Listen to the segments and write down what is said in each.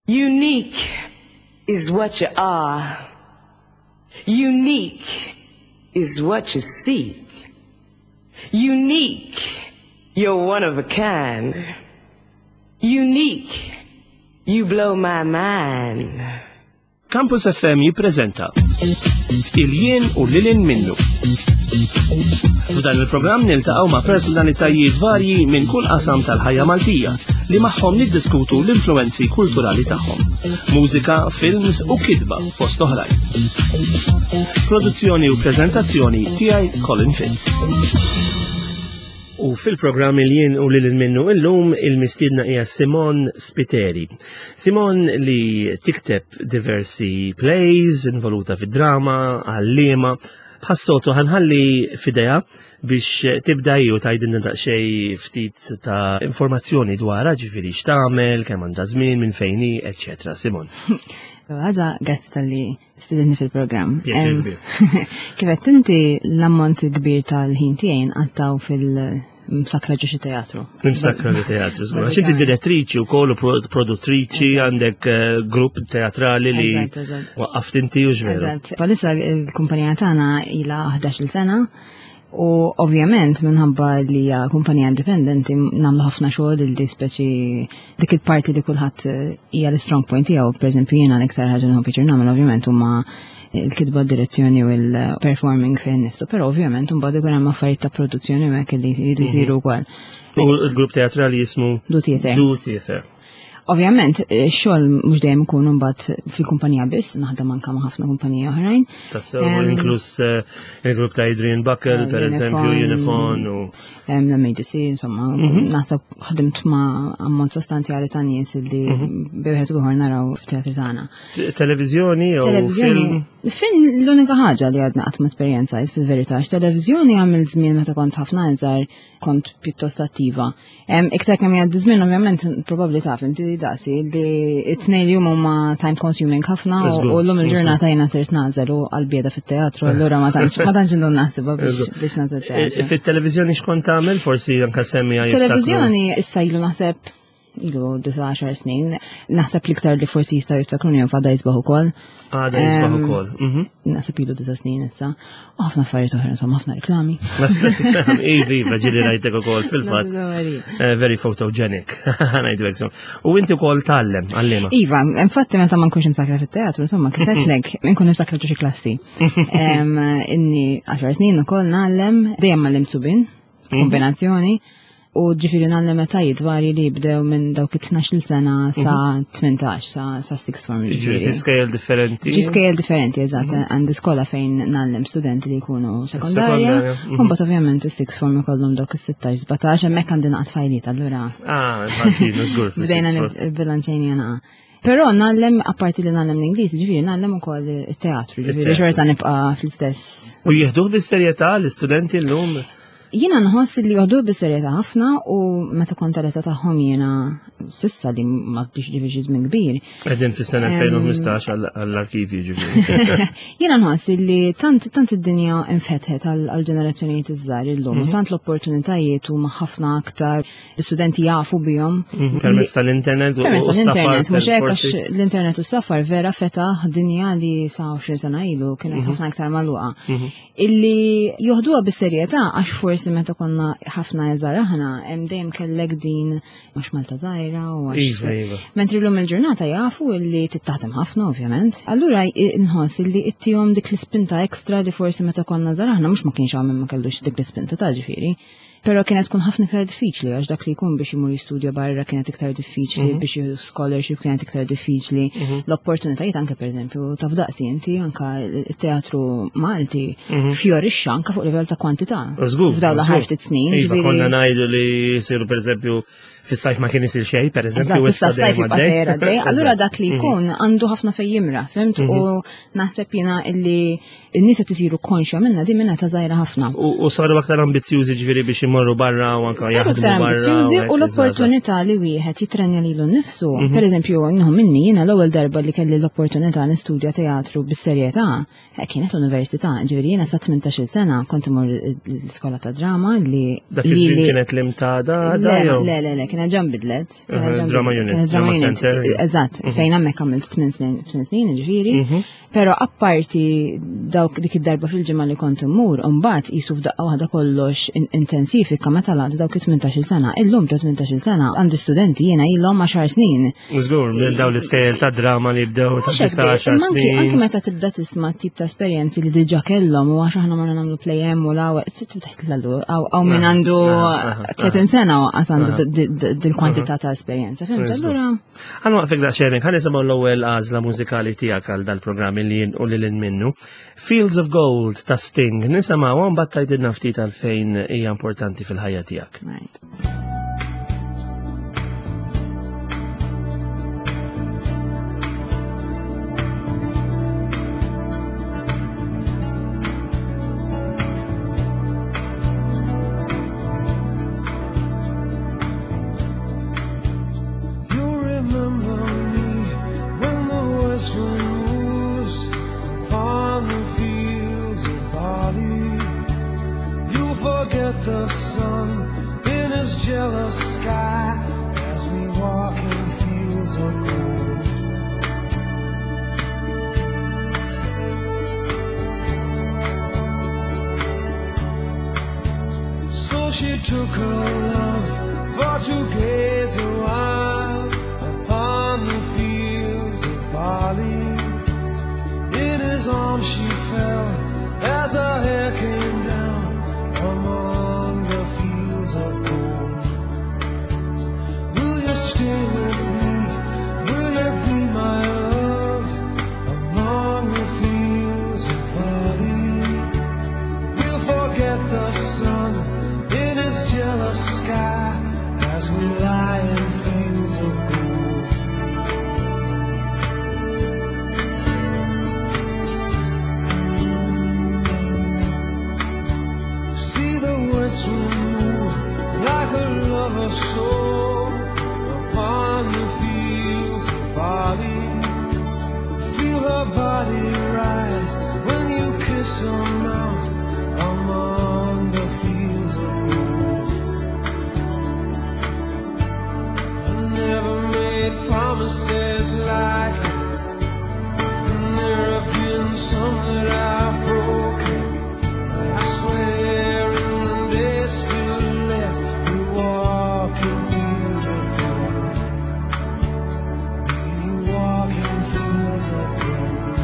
Unique is what you are. Unique is what you seek. Unique, you're one of a kind. Unique, you blow my mind. Campus FM jippreżenta Il-jien u lilin minnu. F'dan il-programm niltaqgħu ma' personalitajiet varji minn kull qasam tal-ħajja Maltija li magħhom niddiskutu l-influenzi kulturali tagħhom. Mużika, films u kitba fost oħrajn. Produzzjoni u preżentazzjoni tiegħi Colin Fitz. U fil-programm il-jien u lil minnu illum il-mistiedna hija Simon Spiteri. Simon li tikteb diversi plays, involuta fid-drama, għallima, bħas-soltu ħanħalli fideja biex tibda ju tajdinna daqsxejn ftit ta' informazzjoni dwarha ġifieri x'tagħmel, kemm għandha żmien, minn fejn hi, eċċetera. Simon. Ħaġa, grazzi tal-li stidinni fil-programm. Kif qed inti l-ammont kbir tal-ħin tiegħi nqattaw fil- msakra ġo xi teatru. Msakra ġo teatru, żgur. Għax inti direttriċi wkoll u produttriċi għandek eh, grupp teatrali li waqqaft inti u ġveru. Palissa l-kumpanija tagħna ilha 11-il sena U ovvjament minħabba li hija kumpanija indipendenti nagħmlu ħafna xogħol li speċi dik il-parti li kulħadd eh, hija l-strong point tiegħu, pereżempju jiena l-iktar ħaġa nħobb pjaċir nagħmel ovvjament huma il-kitba direzzjoni u l-performing fejn nifsu, però ovvjament imbagħad ikun hemm affarijiet ta' produzzjoni u hekk li jridu mhm. jsiru wkoll. U l-grupp teatrali jismu Du Theater. Du Theater. Ovvjament, eh, xogħol mhux dejjem ikun imbagħad fil-kumpanija biss, naħdem anke ma' ħafna kumpaniji oħrajn. Tassew, inkluż eh, il-grupp ta' Adrian Buckle, per eżempju, Unifon u. L-MADC, insomma, mhm. naħseb ħdimt ma' ammont sostanzjali ta' nies li mhm. bejħed u ieħor naraw fit-teatri tagħna. Televiżjoni jew Televiżjoni. Film l-unika ħaġa li għadna qatt ma esperjenzajt fil-verità, televiżjoni għamil żmien meta kont ħafna iżgħar kont pjuttost attiva. Iktar kemm jgħaddi żmien ovvjament probabbli taf inti daqsi li t-tnejn li huma time consuming ħafna u llum il-ġurnata jiena sirt nażel u għall-bieda fit-teatru allura ma tantx ma tantx indum naħsibha biex nażel teatru. Fit-televiżjoni x'kont tagħmel forsi anke semmi Televiżjoni issa ilu naħseb ilu 19 snin, naħseb l-iktar li forsi jistaw jiftakruni jew fada jisbaħ ukoll. Għada jisbaħ ukoll. Mhm. Naħseb ilu disa snin issa. U ħafna affarijiet oħra, insomma, ħafna reklami. Ivi, iva, ġili rajtek ukoll fil-fatt. Eh, very photogenic, ngħidu hekk. U inti wkoll tgħallem għallima. Iva, infatti meta ma nkunx imsakra fit-teatru, insomma, kif għedtlek, nkun imsakra xi klassi. Inni 10 snin ukoll ngħallem, dejjem għallimt subin, mhm. kombinazzjoni. U ġifiri nagħllem etajiet varji li jibdew minn dawk it-12 sena sa 18 mhm. sa sa sixth form. Ġifiri skejjel differenti. Ġi skejjel differenti, eżatt. Mhm. Għandi skola fejn nagħllem studenti li jkunu sekondarja. Mhm. U mbagħad ovvjament is-sixth form ikollhom dawk is-16, 17, hemmhekk għandi naqgħod fajliet allura. Ah, infatti, żgur. Bdejna bilanċejni jena. Però nagħllem apparti li nagħllem l-Ingliż, ġifieri nagħllem ukoll it-teatru, ġifieri xorta nibqa' fl-istess. U jieħduh bis-serjetà l-istudenti llum? Jiena nħoss li joħduh bis-serjetà ħafna u meta kont tal-età tagħhom jiena sissa li ma bdix ġifieri żmien kbir. Qegħdin fis-sena 2015 għall-arkivji ġifieri. Jiena nħoss li tant tant id-dinja infetħet għall-ġenerazzjonijiet iż-żgħar illum u mhm. tant l-opportunitajiet huma ħafna aktar l-istudenti jafu bihom. Mhm, permezz tal-internet u Permezz tal-internet, mhux hekk għax l-internet u s-safar vera fetaħ dinja li sa 20 sena ilu kienet mhm. ħafna iktar magħluqa. Illi joħduha bis-serjetà għax forsi meta konna ħafna iżgħar aħna hemm dejjem kellek din għax Malta żgħira u għax. Iva, iva. Mentri llum il-ġurnata jafu illi tittaħdem ħafna ovvjament. Allura nħoss illi ittihom dik l-ispinta ekstra li forsi meta konna żgħar aħna mhux ma kienx hawn ma kellux dik l-ispinta ta' ġifieri. Però kienet tkun ħafna iktar diffiċli għax dak li jkun biex imur jistudja barra kienet iktar diffiċli, mhm. biex jieħu scholarship kienet iktar diffiċli. Mhm. L-opportunitajiet anke pereżempju taf daqsi inti anke it-teatru Malti mhm. fjorixxa anke fuq livell ta' kwantità. F'dawn l-aħħar ftit snin. Iva, konna ngħidu li jsiru pereżempju fis-sajf ma kien isir xejn, pereżempju, issa s-sajf jibqa' sejjer għaddej. Allura dak li jkun għandu ħafna fejn jimra, fimt? U naħseb jiena illi n-nies qed isiru konxja minna di minna ta' żgħira ħafna. U saru aktar ambizzjużi ġifieri biex Jmorru barra u anka jaħdmu barra. Ambizjużi u l-opportunità li wieħed jitrenja lilu nnifsu. Per eżempju, nieħu minni jiena l-ewwel darba li kelli l-opportunità nistudja teatru bis-serjetà eh, kienet l-università, ġifieri jiena sa 18-il sena kont imur l-iskola ta' drama li Dak iż-żmien kienet l-imtada Le, le, le, le, kienet ġan bidlet. Drama unit, drama center. Eżatt, mhm. fejn hemmhekk għamilt 8 snin, ġifieri. Mhm. Pero apparti dawk dik id-darba fil-ġimgħa li kont immur, imbagħad qisu f'daqqa waħda kollox intensifika meta laqt dawk it-18-il sena. Illum ta' 18-il sena għandi studenti jiena ilhom 10 snin. Żgur, minn dawn l-iskejjel ta' drama li bdew ta' 10 snin. Anki meta tibda tisma' tip ta' esperjenzi li diġà kellhom u għax aħna morna nagħmlu play hemm u la tibda tlalu hawn min għandu 30 sena u għandu dil-kwantità ta' esperjenza. Fimt? Allura Għan waqfek daqsxejn, ħan nisimgħu l-ewwel għażla mużikali tiegħek għal dal-programm li jien u lil minnu. Fields of Gold ta' Sting, nisimgħu mbagħad tgħidilna ftit għalfejn hija importanti fil-ħajja tiegħek. Right. The sun in his jealous sky as we walk in fields of gold. So she took her love for to gaze a while upon the fields of barley. In his arms she fell as her hair came down among the fields of gold. Will you stay with me? Will you be my love among the fields of barley? We'll forget the sun in his jealous sky as we lie in fields of gold. See the west wind move like a lover's soul upon the fields of barley. Feel her body rise when you kiss her mouth among the fields of gold. I never made promises lightly, and there have been some that I've broken. I swear in the days still left, we walk in fields of gold. We walk in fields of gold.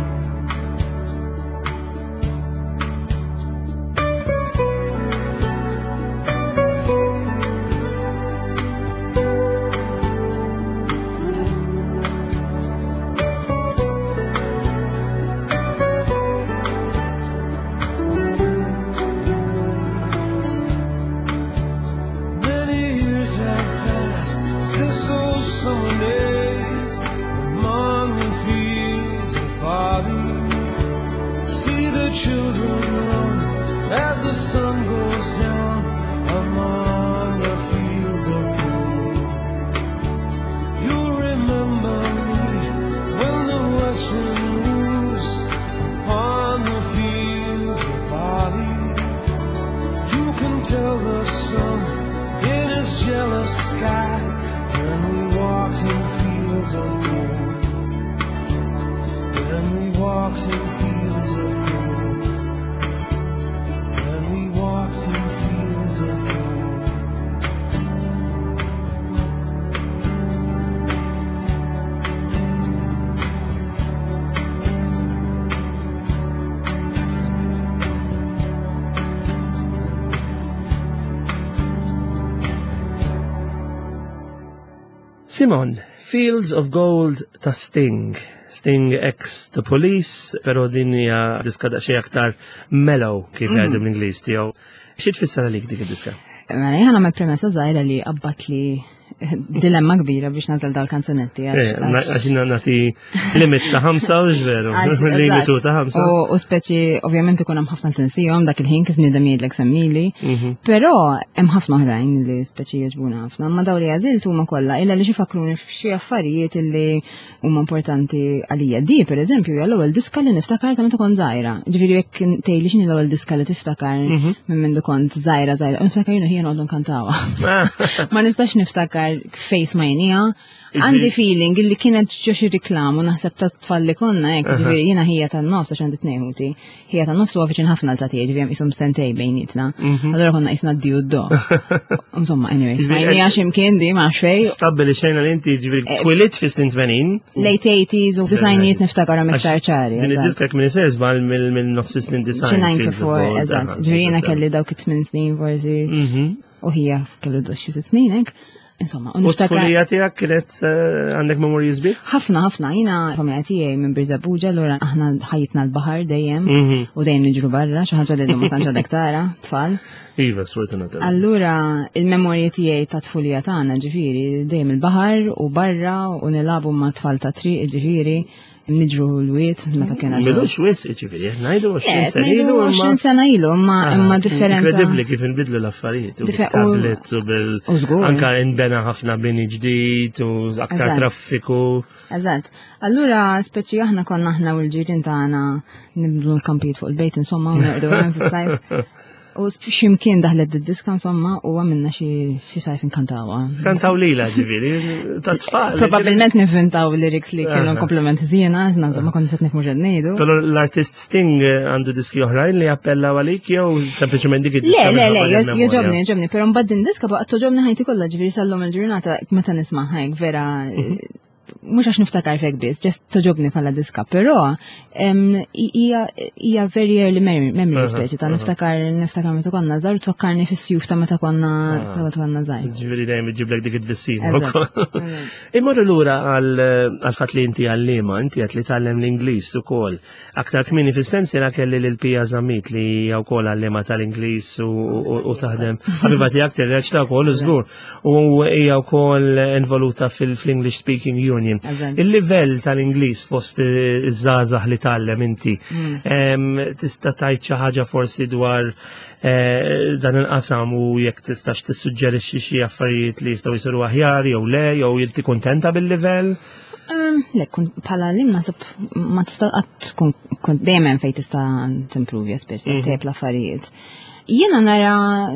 Many years have passed since those summer days among the fields of barley. See the children run as the sun goes down among the fields of gold. You'll remember me when the west wind moves upon the fields of barley. You can tell the sun in his jealous sky when we walked in fields of gold. When we walked in fields of gold. When we walked in fields of gold. Simon, Fields of Gold ta' Sting. Sting ex The Police, pero din hija diska daqsxejn aktar mellow kif jgħidu bl-Ingliż tiegħu. Xi tfisser għalik dik id-diska? Mela jien nagħmel premessa żgħira li qabbat li dilemma kbira biex nażel dal-kanzunetti. Eh, għax jiena nagħti limit ta' ħamsa u veru. Limitu ta' ħamsa. U speċi ovvjament ikun hemm ħafna tinsihom dak il-ħin kif nidem jgħidlek semmili. Però hemm ħafna oħrajn li speċi jogħġbuna ħafna, ma daw li għażilt huma kollha illa li xi fakruni f'xi affarijiet illi huma importanti għalija. Di, per eżempju, hija l-ewwel diska li niftakar ta' meta kont żgħira. Ġifieri jekk tgħidli x'inhi l-ewwel diska li tiftakar minn mindu kont żgħira żgħira, niftakar jiena ħija noqogħdu nkantawha. Ma nistax niftakar fejn smajniha. Għandi feeling illi kienet ġo xi reklam u naħseb ta' tfal li konna hekk, ġifieri jiena ħija tan-nofs għax għandi tnejn ħuti. Ħija tan-nofs huwa viċin ħafna l ta' tiegħi, ġifieri hemm qishom sentej bejnietna. Allura konna qisna d-di u d-do. Insomma, anyway, smajniha x'imkien di ma nafx fejn. Stabbili xejna li inti ġifieri twilidt fi snin 80. Late 80s u disajnijiet niftakarhom iktar ċari. Din id-diska minn isir żball mill-nofs snin design. 94, eżatt. Ġifieri jiena kelli dawk it-8 snin forsi. U ħija kellu xi sitt snin hekk. Insomma, u niftakar. Tiegħek kienet għandek memorji sbieħ? Ħafna, ħafna. Jiena familja tiegħi minn Birżebbuġa, allura aħna ħajjitna l-baħar dejjem u dejjem niġru barra, xi ħaġa li llum ma tantx għadek tara, tfal. Iva, sfortunatament. Allura il-memorji tiegħi ta' tfulija tagħna ġifieri dejjem il-baħar u barra u nilagħbu ma' tfal ta' triq ġifieri niġru l-wiet meta kien Milux wis, ġifieri, ngħidu 20 sena ilu. 20 sena ilu, imma differenza. Inkredibbli kif inbidlu l-affarijiet. U tablets u bil. Anka inbena ħafna bini ġdid u aktar traffiku. Eżatt. Allura, speċi aħna konna aħna u l-ġirien tagħna nibdlu l-kampijiet fuq il-bejt, insomma, u norqdu hemm fis-sajf. U ximkien daħlet d-diska, insomma, u għamilna xi sajf inkantawa. Kantaw lila, ġifieri, ta' tfal. Probabilment nivvintaw lyrics li kienu komplement żiena, għax insomma konna qed nifhmu x'qed ngħidu. Però l-artist Sting għandu diski oħrajn li appellaw għalik jew sempliċement dik id-diska? Le, le, le, jogħġobni, jogħġobni, però mbagħad din diska baqgħet togħġobni ħajti kollha, ġifieri sal-lum il-ġurnata meta nisma' hekk vera mhux għax niftakar fek biss, just togħġobni bħala diska, però hija very early memory speċi ta' niftakar meta konna żgħar, tfakkarni fis-sjuf ta' meta konna ta' meta konna żgħar. Ġifieri dejjem iġiblek dik it-tbissima ukoll. Immorru lura għal fatt li inti għalliema, inti qed li tgħallem l-Ingliż ukoll. Aktar kmieni fis-sensiela kelli lil Pia Zammit li hija wkoll għalliema tal-Ingliż u taħdem. Ħabiba tiegħek tirreċta wkoll żgur. U hija wkoll involuta fil-English Speaking Union. Il-livell tal-Ingliż fost iż-żgħażagħ li tgħallem inti, tista' tgħid xi ħaġa forsi dwar dan il-qasam u jekk tistax tissuġġerixxi xi affarijiet li jistgħu jsiru aħjar jew le, jew inti kuntenta bil-livell? Le, bħala li naħseb ma tista' qatt tkun dejjem hemm fejn tista' timprovja speċi tejjeb l-affarijiet. Jiena nara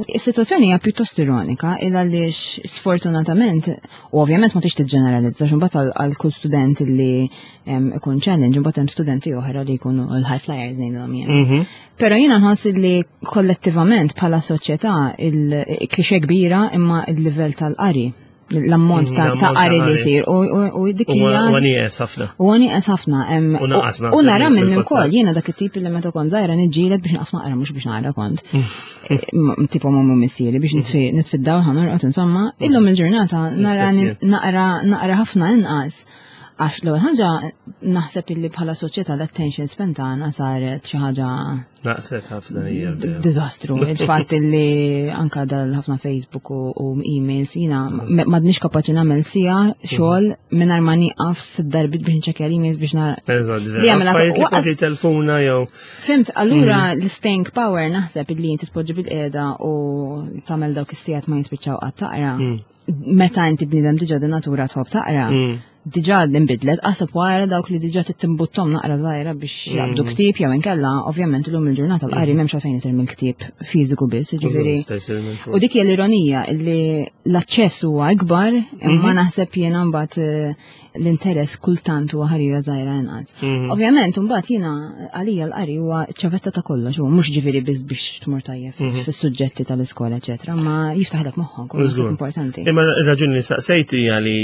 is-sitwazzjoni hija pjuttost ironika il għaliex sfortunatament, u ovvjament ma tix tiġġeneralizza x'imbagħad għal kull student li ikun challenge, imbagħad hemm studenti oħra li jkunu l-high flyers ngħidulhom jien. Però jiena nħoss li kollettivament bħala soċjetà il-klixe kbira imma il-livell tal-qari, l-ammont ta' qari li jsir u dik hija U nieqes ħafna. U nieqes ħafna. U naqas U nara minni wkoll, jiena dak it-tip li meta kont żgħira niġġieled biex naqaf naqra mhux biex naqra kont. Tipo m'ommi u missieri biex nitfi d-dawl ħa norqod insomma. Illum il-ġurnata nara naqra ħafna inqas. Għax l-ewwel ħaġa naħseb illi bħala soċjetà l-attention span tagħna saret xi ħaġa Naqset ħafna hija. Diżastru. Il-fatt illi anka dal ħafna Facebook u emails jiena m'għadniex kapaċi nagħmel siegħa xogħol mingħajr ma nieqaf sitt darbiet biex nċekkja l-emails biex nara. Eżatt, li jagħmel affarijiet li kważi telfuna jew. Fimt, allura l-staying power naħseb illi inti tpoġġi bil-qiegħda u tagħmel dawk is-sigħat ma jispiċċaw qatt taqra. Meta inti bniedem diġà di natura tħobb taqra. Diġà nbidlet, qasab wara dawk li diġà tittimbuttom naqra żgħira biex jaqbdu ktieb jew inkella, ovvjament illum il-ġurnata l-qari m'hemmx għalfejn isir mill-ktieb fiżiku biss, jiġifieri. Jista' jsir minn fuq. U dik hija l-ironija li l-aċċess huwa ikbar, imma naħseb jiena mbagħad l-interess kultant huwa ħarira żgħira inqas. Ovvjament mbagħad jiena għalija l-qari huwa ċavetta ta' kollox, huwa mhux ġifieri biss biex tmur tajjeb fis-suġġetti tal-iskola, eċetera, ma jiftaħlek moħħok, u naħseb importanti. Imma r-raġuni li saqsejt hija li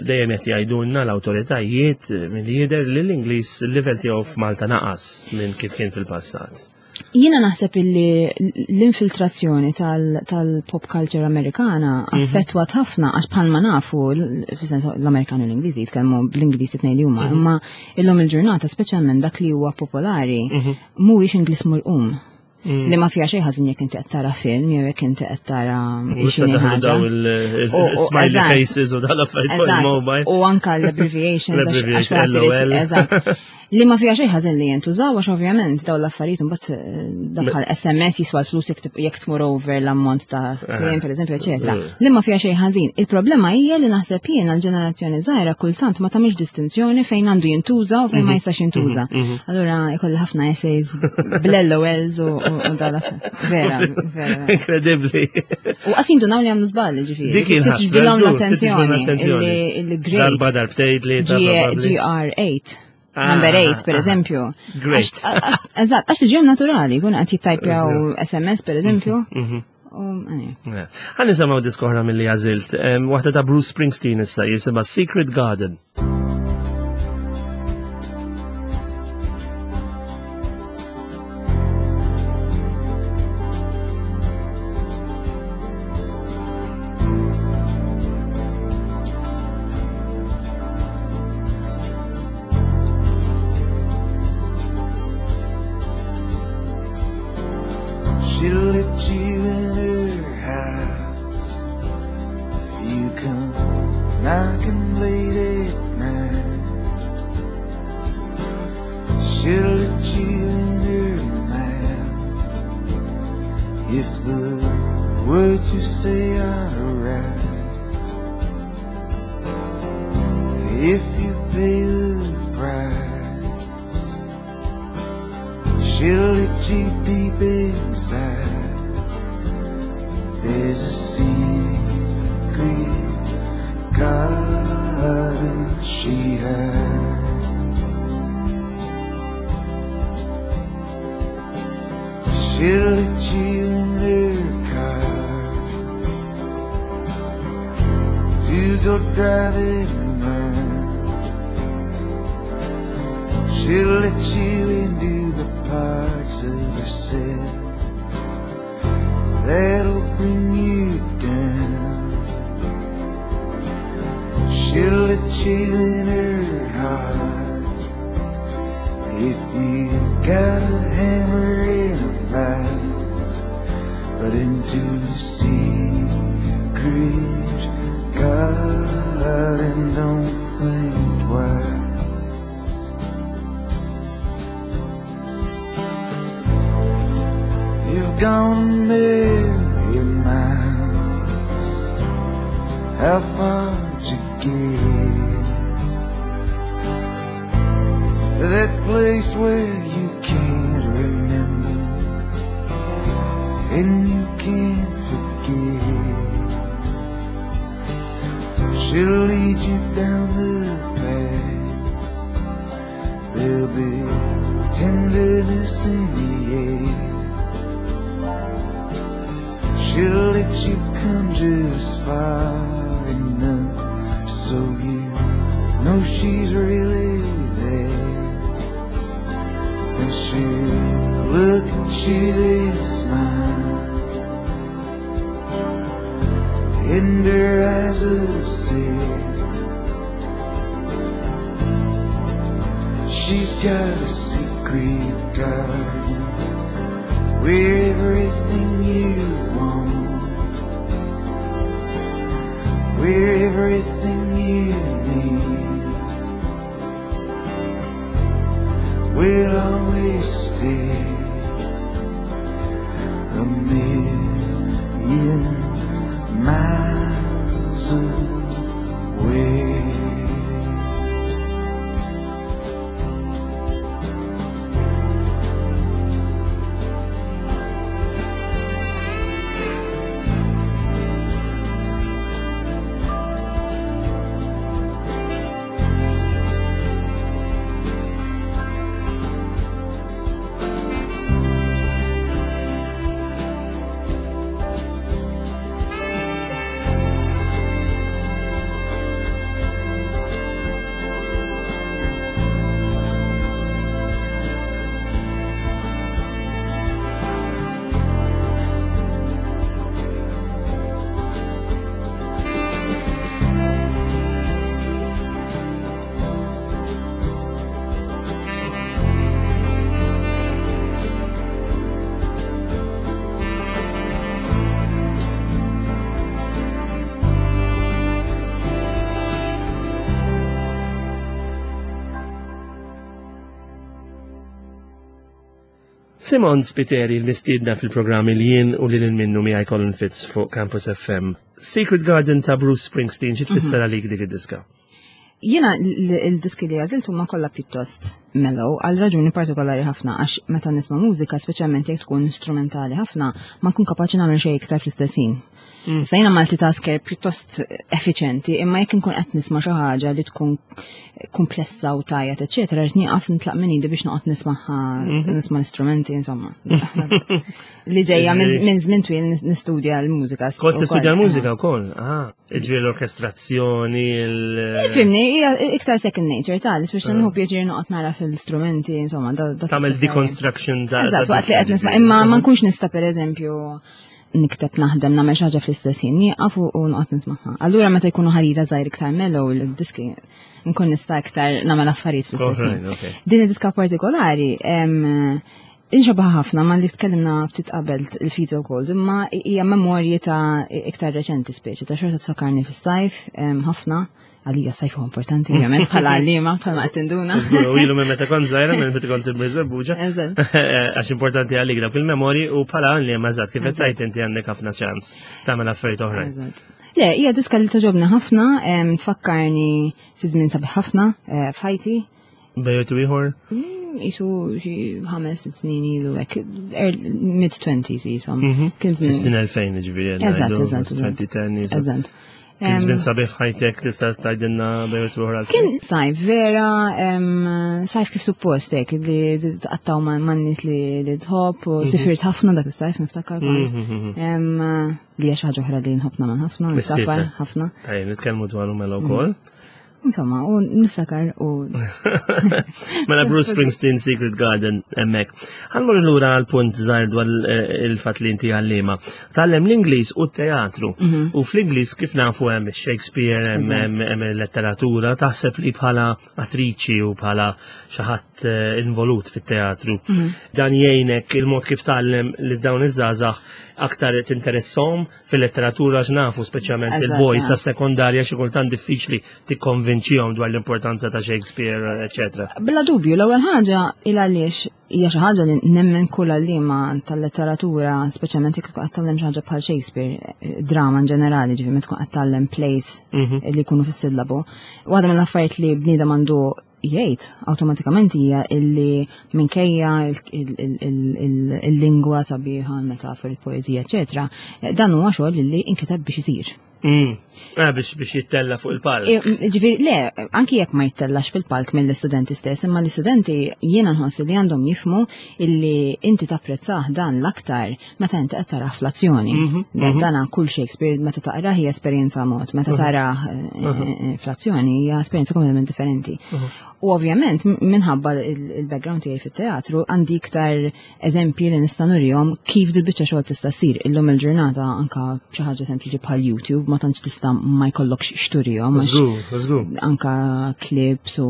dejjem qed jgħidulna l-awtoritajiet milli jidher li l-Ingliż il-livell tiegħu f'Malta naqas minn kif kien fil-passat. Jiena naħseb illi l-infiltrazzjoni tal-pop culture Amerikana affettwat ħafna, għax bħalma nafu, fis-sens l-Amerikani u l-Ingliżi jitkellmu bl-Ingliż it-tnejn li huma, imma illum il-ġurnata speċjalment dak li huwa popolari mhuwiex Ingliż murqum. Li ma fiha xejn ħażin jekk inti qed tara film jew jekk inti qed tara xi ħaġa. Il-smiley faces u dal-affarijiet fuq il-mobile. U anka l-abbreviations għax Eżatt. Li ma fiha xejn ħażin li jintużaw għax ovvjament dawn l-affarijiet imbagħad eh, daħal SMS jiswa l-flus jekk tmur over l-ammont ta' kliem pereżempju eċetera. Mm. Li ma fiha xejn ħażin. Il-problema hija li naħseb jien għall-ġenerazzjoni żgħira kultant ma tagħmilx distinzjoni fejn għandu jintuża u fejn ma mhm. jistax jintuża. Mhm, mhm. Allura ikolli ħafna essays bl-LOLs u dal Vera, vera. Inkredibbli. U qas jindunaw li għamlu żball ġifieri. Dik il-ħaġa. l-attenzjoni. Il-great. Darba darbtejn li GR8. Ah, Number 8, per ah, eżempju. Great. Eżatt, għax tiġi naturali, kun qed jittajpjaw SMS, per eżempju. Għan nisimaw diskoħra mill-li għazilt, waħda ta' Bruce Springsteen issa jisimha Secret Garden. She'll let you in her house if you come knocking late at night. She'll let you in her mouth if the words you say are right. If you pay the price, she'll let you deep inside. There's a secret garden she has. She'll let you in her car to go driving round. She'll let you into the parts of herself that'll bring you down. She'll let you in her heart if you got a hammer and a vise, but into the secret garden don't think twice. You've gone a million miles. How far to get to that place where you can't remember and you can't forget? She'll lead you down the path. There'll be tenderness in the air. She'll let you come just far enough so you know she's really there. And she'll look at you and smile, and her eyes will say she's got a secret garden where everything you want, where everything you need will always stay a million miles away. Simon Spiteri l-mistiedna fil-programm il jien u lil minnu miegħi Colin Fitz fuq Campus FM. Secret Garden ta' Bruce Springsteen, xi tfisser mhm. għalik dik id-diska? Jiena il-diski li għażilt huma kollha pjuttost mellow għal raġuni partikolari ħafna għax meta nisma' mużika speċjalment jekk tkun instrumentali ħafna ma nkun kapaċi nagħmel xejn iktar fl-istess ħin. Issa jiena multitasker pjuttost effiċenti, imma jekk inkun qed nisma' xi ħaġa li tkun komplessa u tajjat, eċetera, rrid nieqaf nitlaq minn idi biex noqgħod nismagħha mhm. nisma' l-istrumenti, insomma. Li ġejja minn żmien twil nistudja l-mużika. Kont tistudja l-mużika wkoll, ah, ġifieri l-orkestrazzjoni, il- eh, Fimni, hija iktar second nature tal, biex ah. nieħu pjaċir noqgħod nara fil-istrumenti, insomma. Tagħmel deconstruction da. Eżatt, waqt li qed nisma' imma ma nkunx nista' pereżempju nikteb naħdem nagħmel xi ħaġa fl-istess ħin nieqaf u noqgħod nismagħha. Allura meta jkunu ħarira żgħir iktar mellow il-diski nkun nista' iktar nagħmel affarijiet fl-istess ħin. Din id-diska partikolari inxabaħ ħafna ma li tkellimna ftit qabel il-Fito Cold, imma hija memorji ta' iktar reċenti speċi ta' xorta tfakkarni fis-sajf ħafna Għalija sajf huwa importanti ovvjament bħala għalliema bħala qed tinduna. U ilu minn meta kont żgħira minn meta kont imriżebbuġa. Għax importanti għalik dawk il-memorji u bħala għalliema eżatt kif qed tgħid inti għandek ħafna ċans tagħmel affarijiet oħrajn. Le, hija diska li toġobni ħafna, tfakkarni fi żmien sabiħ ħafna eh, f'ħajti. Bejtu ieħor? Mm, isu xi ħames snin ilu hekk, er, mid-20s jisom. Mhm. Kien żmien 2000 ġifieri. Eżatt, eżatt. 2010 Eżatt. Kien żmien sabiħ ħajtek tista' tgħidilna bejt ieħor għal. Kien sajf vera, sajf kif suppost hekk li tqattaw man-nies li tħobb u mhm. sifirt ħafna dak is-sajf niftakar kont. Mhm, li hija xi ħaġa oħra li nħobb nagħmel ħafna, safar ħafna. Ejja, nitkellmu dwaru mela wkoll. Insomma, u niftakar u. Mela Bruce Springsteen Secret Garden emmek. Ħanmur lura għal punt żgħir dwar eh, il-fatt li inti għallima. Tgħallem l-Ingliż u t-teatru. Mhm. U fl-Ingliż kif nafu hemm Shakespeare, hemm letteratura, taħseb li bħala attriċi u bħala xi ħadd eh, involut fit-teatru. Mhm. Dan jgħinek il-mod kif tgħallem li dawn iż-żgħażagħ aktar tinteresshom fil-letteratura x'nafu speċjalment il-boys ta' sekondarja xi kultant diffiċli tikkonvinċihom dwar l-importanza ta' Shakespeare, eċetera. Bla dubju, l-ewwel ħaġa il għaliex hija xi ħaġa li nemmen kull għalliema tal-letteratura, speċjalment jekk qed tgħallem xi ħaġa bħal Shakespeare, drama in ġenerali, ġifieri meta tkun qed tgħallem plays mhm. li jkunu fis-sillabu. Waħda mill-affarijiet li bniedem għandu jgħid awtomatikament hija illi minkejja il-lingwa sabiħa, il-metafori, il-poeżija, eċetera, dan huwa xogħol illi inkiteb biex isir. Mm. Ah, biex biex jittella fuq il-palk. Eh, ġifieri, le, anki jekk ma jittellax fil-palk mill-istudenti stess, imma l-istudenti jiena nħoss li għandhom jifmu illi inti tapprezzah dan l-aktar meta inti qed tara fl-azzjoni. Mhm, mhm. Dana kull Shakespeare meta taqra hija esperjenza mod, meta mhm. tara eh, eh, fl-azzjoni hija esperjenza kompletament differenti. U ovvjament minħabba il-background tiegħi fit-teatru għandi iktar eżempji li nista' nurihom kif dil biċċa xogħol tista' ssir. Illum il-ġurnata anka xi ħaġa sempliċi bħal YouTube ma tantx tista' ma jkollokx xturihom. Anka clips u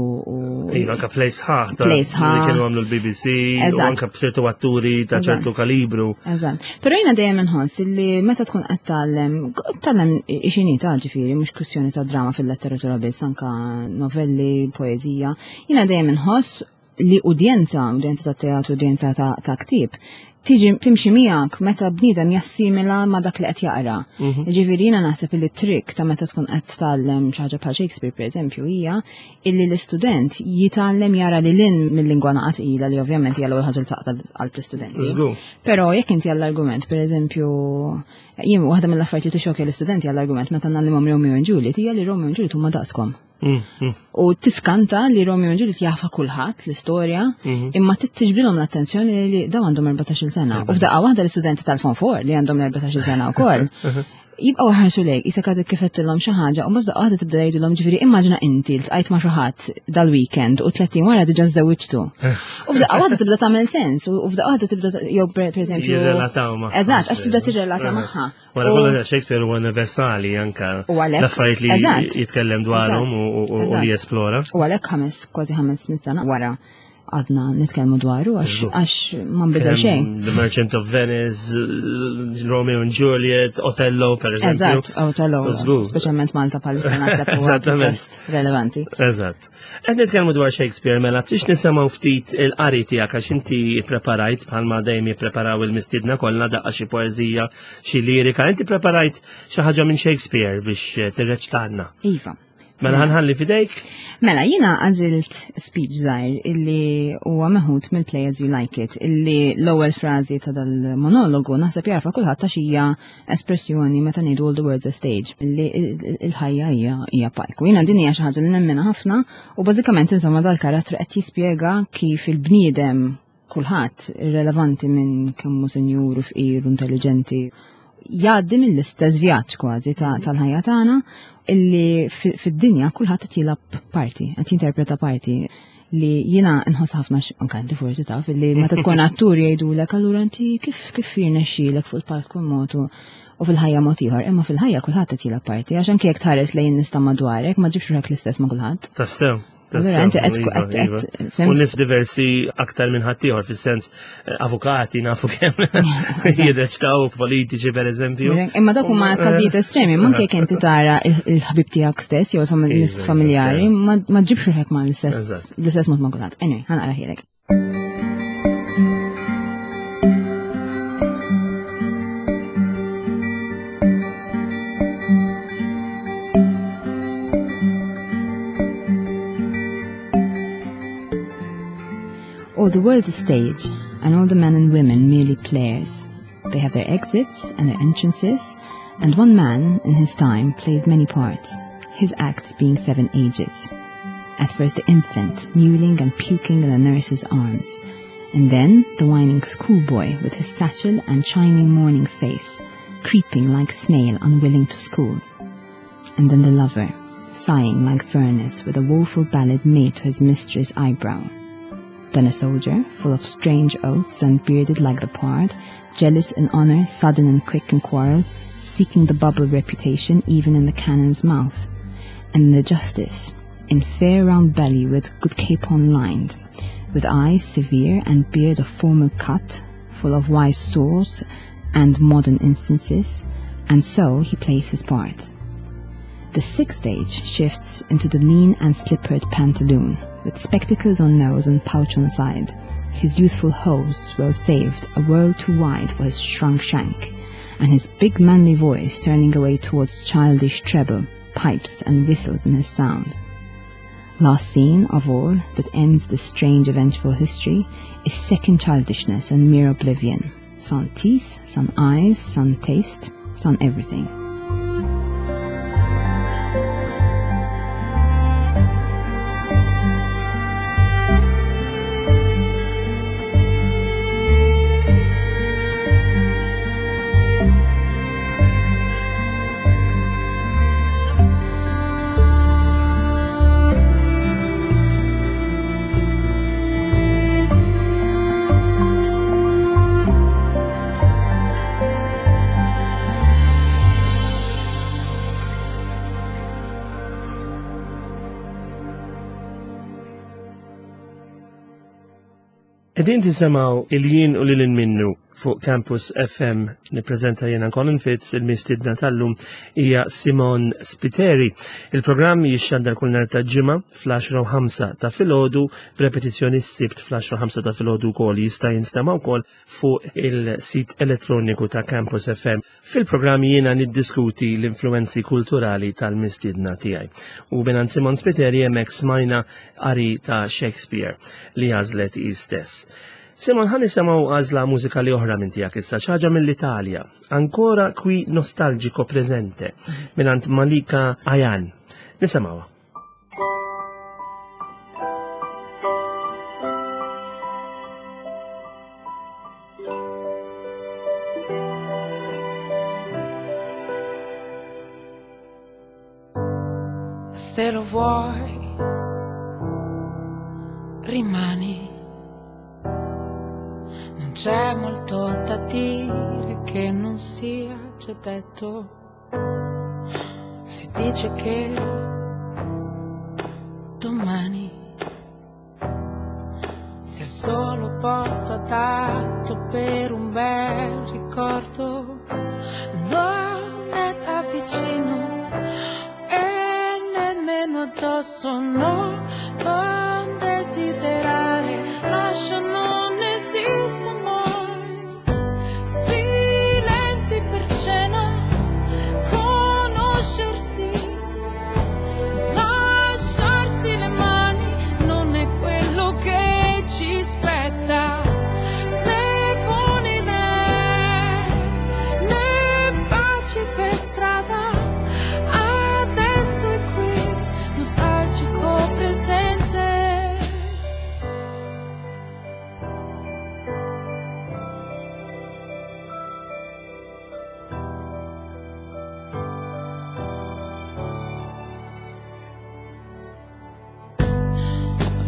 Iva, anka play sħaħ. Play sħaħ. Li kienu għamlu l-BBC, u anka b'ċertu atturi ta' ċertu kalibru. Eżatt. Però jiena dejjem inħoss li meta tkun qed tgħallem, tgħallem xini ta' ġifieri, mhux kwistjoni ta' drama fil-letteratura biss, anka novelli, poeżija. Jiena dejjem inħoss li udjenza, udjenza ta' teatru, udjenza ta' ktieb, tiġi timxi miegħek meta bniedem jassimila ma' dak li qed jaqra. Mhm. Ġifieri jiena naħseb li trick ta' meta tkun qed tgħallem xi ħaġa bħal Shakespeare pereżempju hija illi l-istudent jitgħallem jara li lin mill-lingwa naqa' tqila li ovvjament hija l-ewwel ħaġa li taqta' qalb l-istudenti. Però jekk inti għall-argument pereżempju jien waħda mill-affarijiet li tixokja l-istudenti għall-argument meta ngħallimhom Romeo and Juliet hija li Romeo and Juliet huma daqskom. Mm, mm. U tiskanta li Romeo and Juliet jafa kulħadd l-istorja, mm-hmm. imma tiġbilhom l-attenzjoni li daw għandhom 14-il sena. U f'daqqa waħda l-istudenti tal-Fon 4 li għandhom 14-il sena wkoll. Jibqgħu ħarsu lejk, isek għadek kif għedtilhom xi ħaġa u mbagħad waħda tibda jgħidilhom ġifieri immaġina inti ltqajt ma' xi ħadd dal-weekend u 30 wara diġà żewġtu. U f'daqqa waħda tibda tagħmel sens u f'daqqa waħda tibda jew pereżempju. Jirrelataw magħha. Eżatt, għax tibda tirrelata magħha. Wara kollox Shakespeare huwa universali anka l-affarijiet li jitkellem dwarhom u li jesplora. U għalhekk ħames kważi 500 sena wara. għadna nitkellmu dwaru għax ma nbidel xejn. The Merchant of Venice, Romeo and Juliet, Othello, per eżempju. Eżatt, Othello. Speċjalment Malta bħalissa naħseb Eżattament. Relevanti. Eżatt. Qed nitkellmu dwar Shakespeare mela tix nisimgħu ftit il-qari tiegħek għax inti preparajt bħalma dejjem jippreparaw il-mistiedna kollha daqqa xi poeżija, xi lirika. Inti preparajt xi ħaġa minn Shakespeare biex tirreċtanna. Iva. Mela ħanħalli fidejk? Mela, jina għażilt speech żgħir illi huwa meħud mill-Play As You Like It, illi l-ewwel frażi ta' dal-monologu naħseb jarfa kulħadd għax hija espressjoni meta ngħidu all the words a stage, illi il-ħajja hija hija palku. Jiena din hija xi ħaġa li nemmena ħafna u bażikament insomma dal-karattru qed jispjega kif il-bniedem kulħadd irrelevanti minn kemm hu sinjur u fqir u intelligenti jgħaddi mill-istess vjaġġ kważi tal-ħajja tagħna illi fid-dinja kulħadd qed jilgħab parti, qed jinterpreta parti li jiena nħoss ħafna anke inti forsi taf illi meta tkun attur jgħidulek allura inti kif kif jirnexxielek fuq il-palk kull mod u fil-ħajja mod ieħor, imma fil-ħajja kulħadd qed jilgħab parti għax anke jekk tħares lejn nies ta' madwarek ma ġibx ruħek l-istess ma' kulħadd. Tassew. Allura inti qed Iva, qed iva. qed U fhimt? nis diversi aktar minn ħaddieħor fis-sens avukati nafu kemm jirreċtaw politiċi per eżempju. Imma dak huma każijiet estremi, ma anke jekk inti tara il-ħabib tiegħek stess jew il-nies Iva, familjari, iva. ma ġibx ruħek ma l-istess Eżatt. l-istess mod ma' kulħadd. Anyway, ħanqra ħielek. Oh, the world's a stage, and all the men and women merely players. They have their exits and their entrances, and one man, in his time, plays many parts, his acts being 7 ages. At first the infant, mewling and puking in the nurse's arms, and then the whining schoolboy with his satchel and shining morning face, creeping like snail unwilling to school. And then the lover, sighing like furnace with a woeful ballad made to his mistress' eyebrow. Then a soldier, full of strange oaths and bearded like the pard, jealous in honor, sudden and quick in quarrel, seeking the bubble reputation even in the cannon's mouth. And the justice, in fair round belly with good capon lined, with eyes severe and beard of formal cut, full of wise saws and modern instances, and so he plays his part. The sixth age shifts into the lean and slippered pantaloon, with spectacles on nose and pouch on side, his youthful hose well saved, a world too wide for his shrunk shank, and his big manly voice turning away towards childish treble, pipes and whistles in his sound. Last scene of all that ends this strange eventful history is second childishness and mere oblivion. Sans teeth, sans eyes, sans taste, sans everything. Qegħdin tisimgħu il-jien u lil minnu fuq Campus FM nippreżenta jiena Colin Fitz il-mistiedna tal-lum hija Simon Spiteri. Il-programm jixxandar kull nhar ta' ġimgħa fl-10:05 ta' filgħodu b'repetizzjoni s-Sibt fl-10:05 ta' filgħodu wkoll jista' jinstema' wkoll fuq il-sit elettroniku ta' Campus FM. Fil-programm jiena niddiskuti l-influenzi kulturali tal-mistiedna tiegħi. U mingħand Simon Spiteri hemmhekk smajna qari ta' Shakespeare li għażlet hi stess. Simon, ħa nisimgħu għażla mużikali oħra minn tiegħek issa, xi ħaġa mill-Italja. Ancora qui nostalgico presente mingħand Malika Ayan. Nisimgħuha. Se lo vuoi, rimani. Non c'è molto da dire che non sia già detto. Si dice che domani Sia solo posto adatto per un bel ricordo. Non è da vicino e nemmeno addosso, no, non desiderare, lascia non esista mai. Silenzi per cena, conoscersi, lasciarsi le mani non è quello che ci spetta. Né buone idee, né baci per strada. Adesso è qui, nostalgico presente.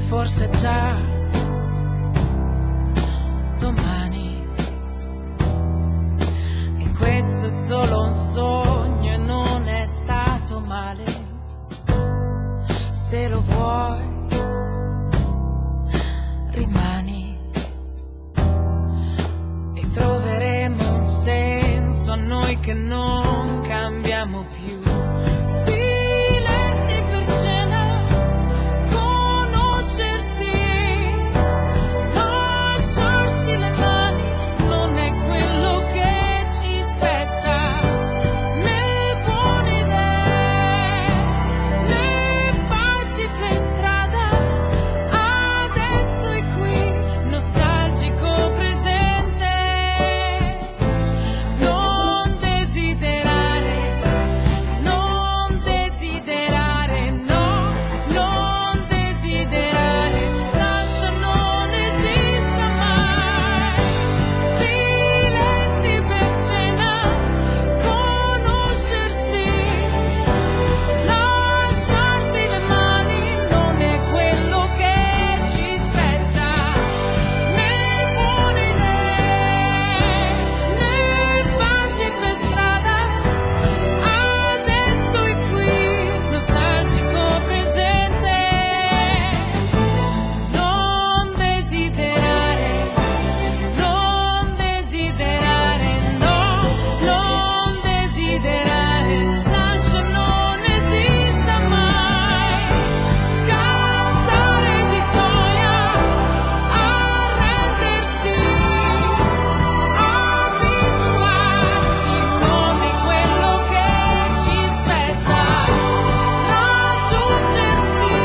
Forse già domani. E questo è solo un sogno e non è stato male. Se lo vuoi, rimani. E troveremo un senso a noi che non cambiamo più. Silenzi per cena, conoscersi, lasciarsi le mani non è quello che ci spetta. Né buone idee, né baci per strada. Adesso è qui, nostalgico presente. Non desiderare, non desiderare, no, non desiderare, lascia non esista mai. Silenzi per cena, conoscersi, lasciarsi le mani non è quello che ci spetta. Né buone idee, né baci per strada. Adesso è qui, nostalgico presente. Non desiderare, non desiderare, no, non desiderare, lascia non esista mai. Cantare di gioia, arrendersi, abituarsi, non è quello che ci spetta. Raggiungersi,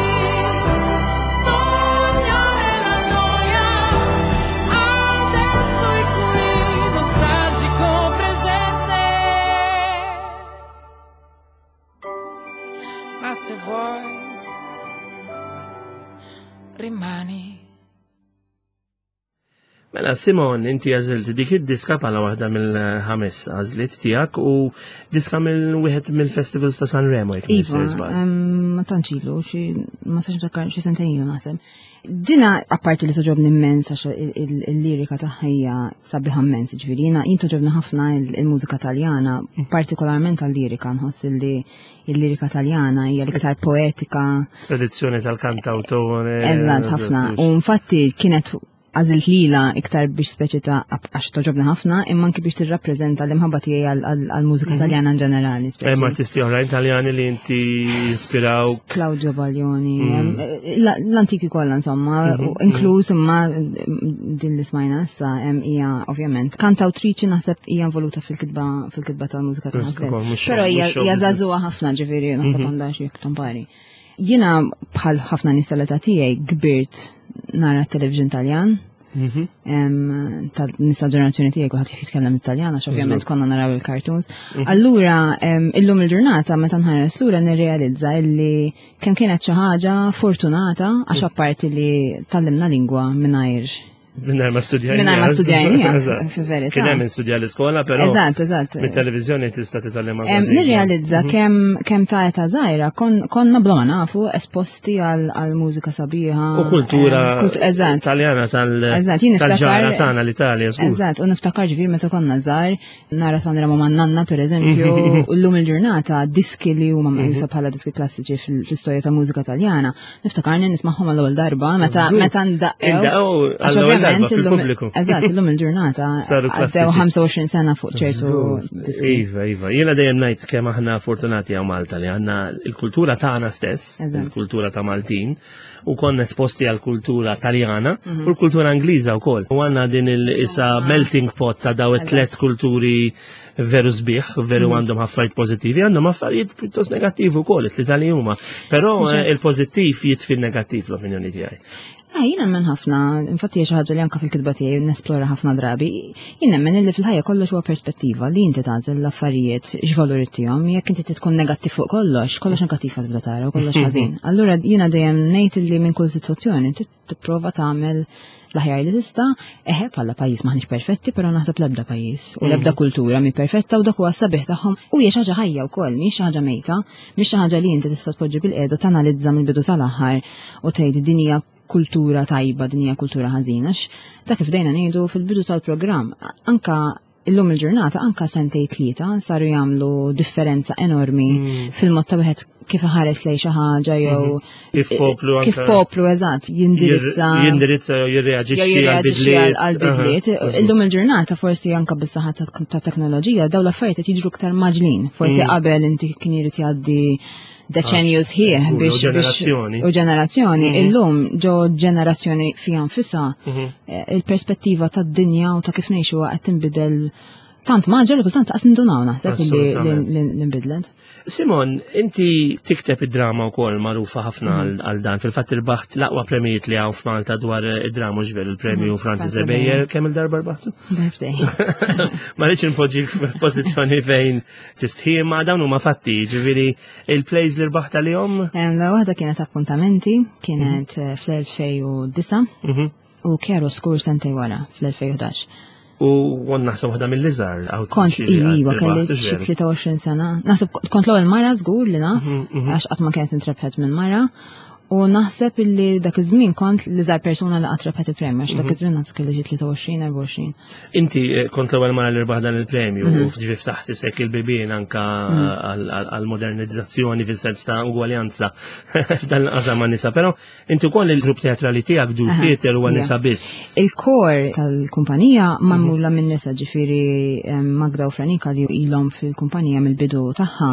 sognare la noia, adesso è qui, nostalgico presente. Ma se vuoi, rimani. Mela, Simon, inti għażilt dik id-diska bħala waħda mill-ħames għażliet tiegħek u diska mill-wieħed mill-festivals ta' Sanremo jekk Iva, nista' żball. ma tantx ilu, xi ma sax niftakar xi sentejn ilu naħseb. Dina apparti li toġobni immens għax il-lirika tagħha hija sabiħa immens, ġifieri jiena jien toġobni ħafna il-mużika Taljana, partikolarment għal-lirika, nħoss li il-lirika Taljana hija l-iktar poetika. Tradizzjoni tal-kantautore. Eżatt, ħafna. U infatti kienet għażilt lila iktar biex speċi ta' għax toġobni ħafna, imma anki biex tirrappreżenta l-imħabba tiegħi għall-mużika Taljana in ġenerali. speċi. Hemm artisti oħrajn Taljani li inti ispiraw. Claudio Baglioni, l-antiki kollha insomma, u inkluż imma din li smajna issa hija ovvjament kantawtriċi naħseb hija involuta fil-kitba tal-mużika ta' Mhux stess. mhux Però mhux show hija business. żagħżugħa ħafna, ġifieri naħseb għandha xi tampari. Jiena bħal ħafna nies tal-età tiegħi kbirt nara t-television Taljan. Tal-nies tal-ġenerazzjoni tiegħi kulħadd jitkellem Italjan għax ovvjament konna naraw il-cartoons. Allura illum il-ġurnata meta nħares lura nirrealizza illi kemm kienet xi ħaġa fortunata għax apparti li tallimna lingwa mingħajr Mingħajr ma studjajni. Mingħajr ma studjajni, fil-verità. Kien hemm studja l-iskola, però. Eżatt, eżatt. Mit-televiżjoni tista' titgħallem Nirrealizza mhm. kemm kemm ta' età żgħira konna bla ma nafu esposti għal mużika sabiħa. U kultura eżatt. Taljana tal-ġara tagħna l-Italja. Eżatt, u niftakar ġifier meta konna żgħar nara Sanremo ma' nanna per eżempju, u llum il-ġurnata diski li huma meqjusa mhm. bħala diski klassiċi fl-istorja ta' mużika taljana, niftakarni nismagħhom għall-ewwel darba meta meta ndaqew. Għall-ewwel darba fil-pubbliku. Eżatt, illum il-ġurnata għaddew 25 sena fuq ċertu diski. Iva, iva. Jiena dejjem ngħid kemm aħna fortunati hawn Malta li għandna il-kultura tagħna stess, il-kultura ta' Maltin, u konna esposti għal kultura taljana mhm. u l-kultura Ingliża wkoll. U għandna din il-isa melting pot ta' daw it-tlet kulturi veru sbieħ, veru mhm. għandhom affarijiet pożittivi, għandhom affarijiet pjuttost negattivi wkoll, it-tlieta li huma. Però eh, il-pożittiv jitfi l-negattiv l-opinjoni tiegħi. Ah, jien nemmen ħafna, infatti hija xi ħaġa li anke fil-kitba tiegħi nesplora ħafna drabi, jien nemmen illi fil-ħajja kollox huwa perspettiva li inti tagħżel l-affarijiet x'valur ittihom, jekk inti tkun negattiv fuq kollox, kollox negattiv tibda tara u kollox ħażin. Allura jiena dejjem ngħid illi minn kull sitwazzjoni inti tipprova tagħmel l-aħjar li tista', eħe bħala pajjiż maħniex perfetti, però naħseb l-ebda pajjiż u l-ebda mm. kultura mi perfetta u dak huwa sabiħ tagħhom u hija xi ħaġa ħajja wkoll, mhix xi ħaġa mejta, mhix xi ħaġa li inti tista' tpoġġi bil-qiegħda tanalizza mill-bidu sal-aħħar u tgħid din hija kultura tajba, din hija kultura ħażina, ta' kif dejna ngħidu fil-bidu tal-programm, anka illum il-ġurnata anka sentej tlieta saru jagħmlu differenza enormi mm. fil-mod ta' wieħed kif ħares lej xi ħaġa jew mhm. kif poplu kif poplu eżatt jindirizza jindirizza jew jirreaġixxi għal bidliet. Illum il-ġurnata forsi anka bis-saħħa ta' teknoloġija dawn l-affarijiet qed jiġru aktar maġlin. Forsi mm. qabel inti kien irid jgħaddi deċenju sħiħ biex ġenerazzjoni. U ġenerazzjoni, mhm. illum ġo ġenerazzjoni fija nfisha mhm. eh, il-perspettiva tad-dinja u ta' kif ngħixu qed tinbidel tant maġġor li kultant qas nindunaw naħseb li nbidlet. Simon, inti tikteb id-drama wkoll magħrufa ħafna mhm. għal dan. Fil-fatt irbaħt l-aqwa premijiet li hawn f'Malta dwar id-drama ġvel il-premju mhm, Francis Ebejer kemm il-darba rbaħtu? Darbtej. Ma rridx inpoġġi f'pożizzjoni fejn Tistħi ma dawn huma fatti, ġifieri il-plays li rbaħt għalihom? La waħda kienet appuntamenti, kienet mhm. eh, fl-2009 mhm. u Kjaro Skur sentej wara fl-2011. U għon naħseb waħda mill-iżgħar Kont iva kelli xi 23 sena. Naħseb kont l-ewwel mara żgur li naf, mhm, għax qatt ma kienet intrebħet minn mara. U naħseb illi dak iż-żmien kont l-iżgħar persuna li qatt rebħet il-premju, għax dak mhm. iż-żmien naħseb kelli xi 23, 24. Inti eh, kont l-ewwel mara li rbaħ dan il-premju u mhm. ġifi ftaħt isek il-bibien anka mhm. għall-modernizzazzjoni fis-sens ta' ugwaljanza f'dan l-qasam ma' nisa, però inti wkoll il-grupp teatrali tiegħek du theater huwa nisa biss. Il-kor tal-kumpanija magħmula minn nisa ġifieri eh, Magda u Franika li ilhom fil-kumpanija mill-bidu tagħha.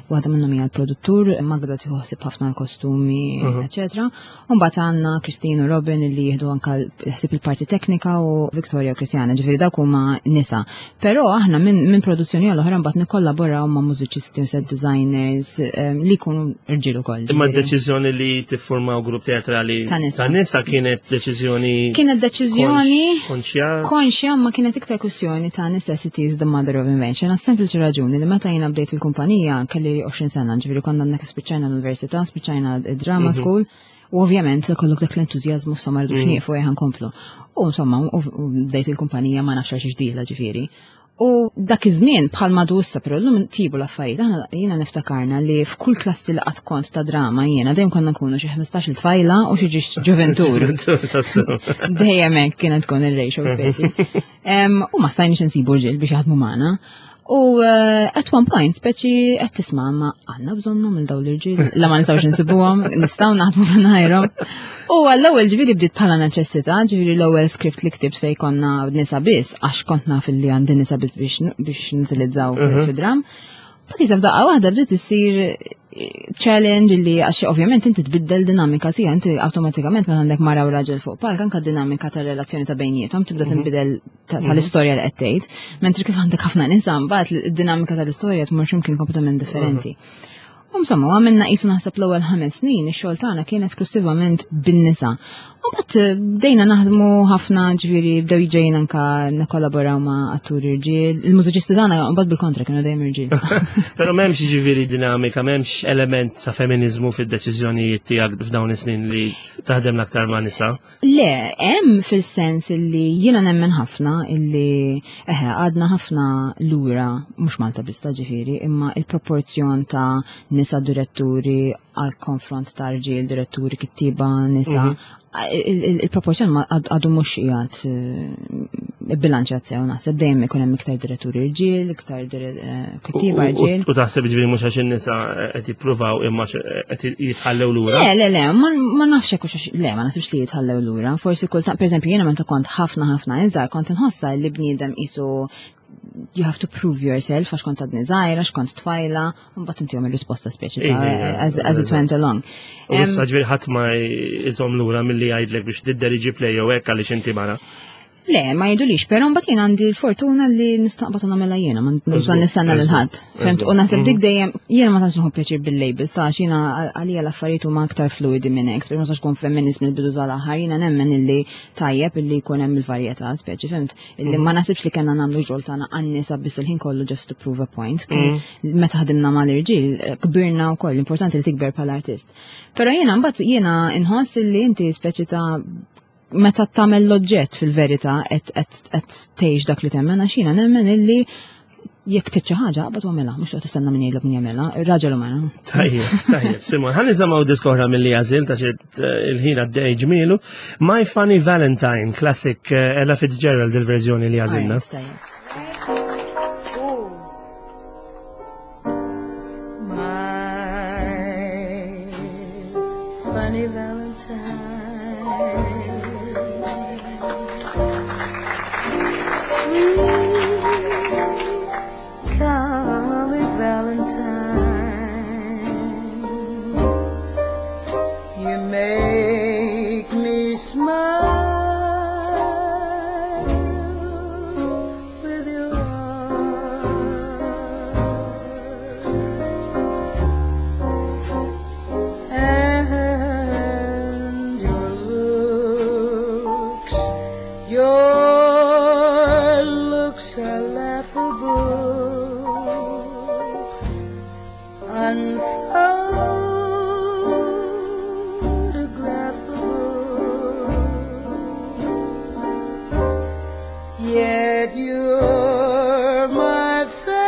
Waħda minnhom hija l-produttur, Magda tieħu ħsieb ħafna l-kostumi, mhm. eċetera. U mbagħad għandna Christine u Robin li jieħdu anka ħsieb il-parti teknika u Victoria u Christiana, ġifieri dawk huma nisa. Però aħna minn min produzzjoni għal oħra mbagħad nikkollaboraw ma' mużiċisti u set designers ehm, li jkunu rġiel ukoll. Imma d-deċiżjoni li tiffurmaw grupp teatrali ta' nisa kienet deċiżjoni Kienet deċiżjoni konxja. Konxja ma kienet iktar kwistjoni ta' necessity is the mother of invention. Għas sempliċi raġuni li meta jiena bdejt il-kumpanija kelli 20 sena, ġifieri konna għandna spiċċajna l-università, spiċċajna drama mhm. school, u ovvjament kollok dak l-entużjażmu insomma rridux mhm. nieqfu eħan komplu. U insomma, u bdejt il-kumpanija ma nafx għax ġdida ġifieri. U dak iż-żmien bħal madu issa però llum tibu l-affarijiet, aħna jiena niftakarna li f'kull klassi li qatt kont ta' drama jiena dejjem konna nkunu xi 15-il tfajla u xi ġiex ġuventur. Dejjem hekk kienet tkun ir-ratio speċi. U ma stajniex insibu rġiel biex jaħdmu magħna. U eh, at one point, speċi qed tisma' ma għandna bżonnhom il dawn l-irġiel, la ma nistgħux insibuhom, nistgħu naħdmu mingħajrhom. U għall-ewwel ġifieri bdiet bħala neċessità, ġifieri l-ewwel script li ktibt fejn konna nisa biss, għax kont naf li għandi nisa biss biex nutilizzaw mhm. fid-dram. Bat jisab daqqa waħda bdiet issir eh, challenge li għax ovvjament inti tbiddel dinamika sija, inti awtomatikament meta għandek mara u raġel fuq palk anka dinamika tar-relazzjoni ta' bejniethom tibda mhm. tinbidel mhm. tal-istorja li qed tgħid, mentri kif għandek ħafna nisa mbagħad id-dinamika tal-istorja tmur x'imkien kompletament differenti. Mhm. U insomma, għamilna qisu naħseb l-ewwel ħames snin ix-xogħol tagħna kien esklusivament bin-nisa. U bat eh, bdejna naħdmu ħafna ġifieri bdew jiġejn anka nikkollaboraw ma' atturi rġiel. Il-mużiċisti tagħna mbagħad bil-kontra kienu dejjem irġiel. Però m'hemmx ġifieri dinamika, m'hemmx element ta' feminiżmu fid-deċiżjonijiet tiegħek f'dawn is-snin li taħdem l-aktar ma' nisa. Le, hemm fil-sens illi jiena nemmen ħafna illi eħe għadna ħafna lura mhux Malta biss ta' ġifieri, imma il-proporzjon ta' nisa diretturi għal konfront ta' rġiel, diretturi, kittiba, nisa, mhm. il-proporzjon għadu mhux qiegħed eh, bilanċjat sew naħseb dejjem ikun hemm iktar diretturi rġiel, iktar eh, kittiba rġiel. U taħseb ġifieri mhux għax in-nisa qed jippruvaw imma qed jitħallew lura? Le, le, le, ma nafx hekk le, ma naħsibx li jitħallew lura. Forsi kultant, pereżempju jiena meta kont ħafna ħafna iżgħar kont inħossa li bniedem qisu you have to prove yourself għax kont għadni żgħira, għax kont tfajla, u mbagħad intihom ir-risposta speċi as, as it went along. U issa ġifieri ħadd ma jżomm lura milli jgħidlek biex tidderiġi play jew hekk għaliex inti mara. Le, ma jidulix, pero mbagħad jien għandi l-fortuna li nistaqbad u nagħmilha jiena, ma nibżon nistenna lil ħadd. Fimt, u naħseb dik mhm. dejjem jiena ma tantx nħobb pjaċir bil-label, sa jiena għalija l-affarijiet huma aktar fluidi minn hekk, ma sax kun feminist mill-bidu tal-aħħar, jiena nemmen illi tajjeb illi jkun hemm il-varjetà, speċi, fimt? Illi ma nasibx li kellna nagħmlu xogħol tagħna għan-nisa biss il-ħin kollu just to prove a point. Mm. Meta ħadimna mal-irġiel, eh, kbirna wkoll, importanti li tikber bħala artist. Però jiena mbagħad jiena inħoss illi inti speċi ta' meta tagħmel l-oġġett fil-verità qed tgħix dak li temmen għax jiena nemmen illi jekk trid xi ħaġa qabad għamilha, mhux toqgħod tistenna min jgħidlek min jagħmilha, ir-raġel u mara. Tajjeb, tajjeb, Simon, ħalli nisimgħu disk oħra milli għażil ta' xi eh, il-ħin għaddej ġmielu. My Funny Valentine, classic eh, Ella Fitzgerald il-verżjoni li għażilna. Funny Valentine. Sweet comic Valentine. You make me smile with your eyes and your looks. Your looks are laughable, unphotographable. Yet you're my favorite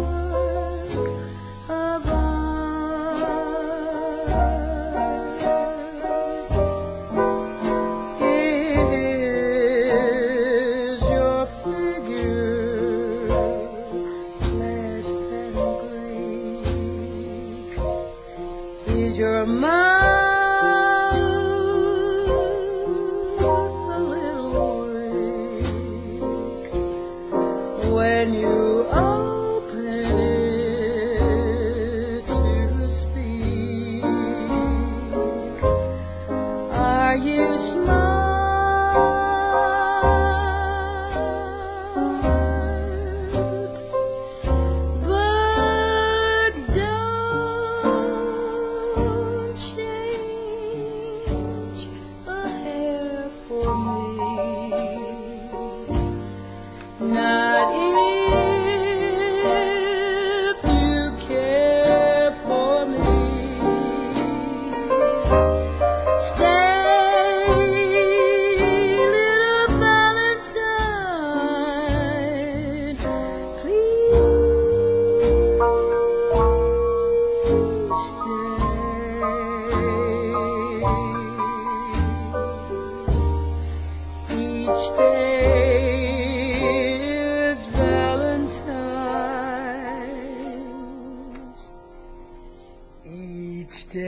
work of art. Is your figure less than Greek? Is your mouth a little weak when you open it to speak? Are you smart? But don't change a hair for me. Not if you care for me. Stay, little Valentine. Please stay. Each day is Valentine's. Each day